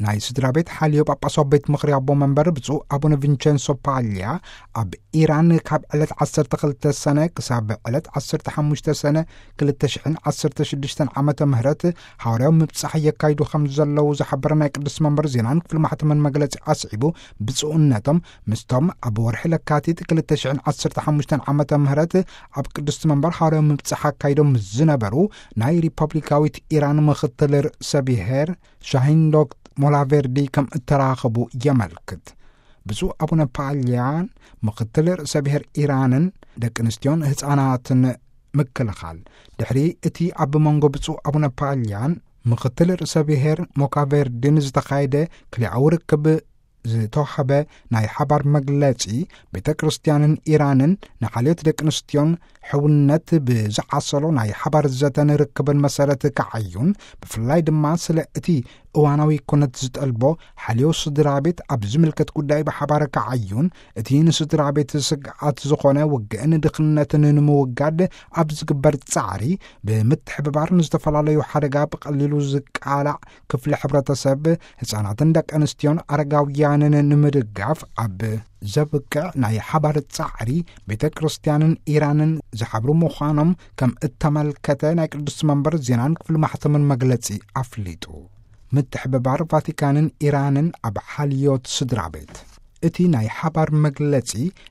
ናይ ስድራ ቤት ሓልዮ ጳጳሳዊ ቤት ምኽሪ ኣቦ መንበር ብፁዕ ኣቡነ ቪንቸንሶ ፓልያ፣ ኣብ ኢራን ካብ ዕለት ዓሰርተ ክልተ ሰነ ክሳብ ዕለት ዓሰርተ ሓሙሽተ ሰነ ክልተ ሽሕን ዓሰርተ ሽዱሽተን ዓመተ ምህረት ሃዋርያዊ ምብጻሕ የካይዱ ከም ዘለዉ ዝሓበረ ናይ ቅዱስ መንበር ዜናን ክፍሊ ማሕተምን መግለጺ ኣስዒቡ፣ ብፁዕነቶም ምስቶም ኣብ ወርሒ ለካቲት ክልተ ሽሕን ዓሰርተ ሓሙሽተን ዓመተ ምህረት ኣብ ቅዱስ መንበር ሃዋርያዊ ምብጻሕ ኣካይዶም ዝነበሩ ናይ ሪፐብሊካዊት ኢራን ምኽትል ርእሰ ብሔር ሻሂንዶክ ሞላቬርዲ ከም እተራኸቡ የመልክት። ብፁዕ ኣቡነ ፓልያን ምኽትል ርእሰ ብሔር ኢራንን ደቂ ኣንስትዮን ህፃናትን ምክልኻል፣ ድሕሪ እቲ ኣብ መንጎ ብፁዕ ኣቡነ ፓልያን ምኽትል ርእሰ ብሔር ሞካቬርዲን ዝተኻየደ ክልኣዊ ርክብ ዝተዋህበ ናይ ሓባር መግለጺ፣ ቤተ ክርስቲያንን ኢራንን ንሓልዮት ደቂ ኣንስትዮን ሕውነት ብዝዓሰሎ ናይ ሓባር ዘተን ርክብን መሰረት ክዓዩን፣ ብፍላይ ድማ ስለ እቲ እዋናዊ ኩነት ዝጠልቦ ሓልዮ ስድራ ቤት ኣብ ዝምልከት ጉዳይ ብሓባር ክዓዩን፣ እቲ ንስድራ ቤት ስግኣት ዝኾነ ውግእን ድኽነትን ንምውጋድ ኣብ ዝግበር ጻዕሪ ብምትሕብባር ንዝተፈላለዩ ሓደጋ ብቐሊሉ ዝቃላዕ ክፍሊ ሕብረተሰብ፣ ህፃናትን ደቂ ኣንስትዮን ኣረጋውያንን ንምድጋፍ ኣብ ዘብቅዕ ናይ ሓባር ጻዕሪ ቤተ ክርስቲያንን ኢራንን ዝሓብሩ ምዃኖም ከም እተመልከተ ናይ ቅዱስ መንበር ዜናን ክፍሊ ማሕተምን መግለጺ ኣፍሊጡ። ምትሕብባር ቫቲካንን ኢራንን ኣብ ሓልዮት ስድራ ቤት። እቲ ናይ ሓባር መግለጺ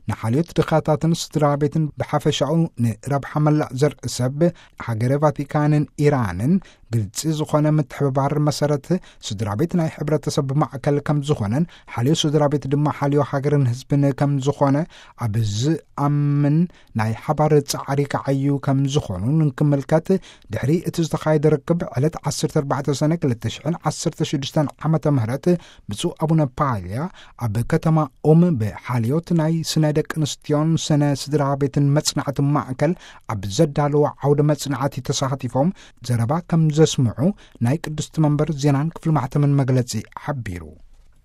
ንሓልዮት ድኻታትን ስድራ ቤትን ብሓፈሻኡ ንረብሓ መላእ ዘርኢ ሰብ ሃገረ ቫቲካንን ኢራንን ግልጺ ዝኾነ ምትሕብባር መሰረት ስድራ ቤት ናይ ሕብረተሰብ ማዕከል ከም ዝኾነን ሓልዮ ስድራ ቤት ድማ ሓልዮ ሃገርን ህዝብን ከም ዝኾነ ኣብ ዝኣምን ናይ ሓባር ጻዕሪ ክዓዩ ከም ዝኾኑ ንክምልከት ድሕሪ እቲ ዝተኻየደ ርክብ ዕለት ዓሰርተ ኣርባዕተ ሰነ ክልተ ሽሕን ዓሰርተ ሽዱሽተን ዓመተ ምህረት ብፁዕ ኣቡነ ፓልያ ኣብ ከተማ ኦም ብሓልዮት ናይ ስነ ደቂ ኣንስትዮን ስነ ስድራ ቤትን መጽናዕቲ ማእከል ኣብ ዘዳለዎ ዓውደ መጽናዕቲ ተሳቲፎም ዘረባ ከም ዘስምዑ ናይ ቅድስቲ መንበር ዜናን ክፍሊ ማሕተምን መግለጺ ሓቢሩ።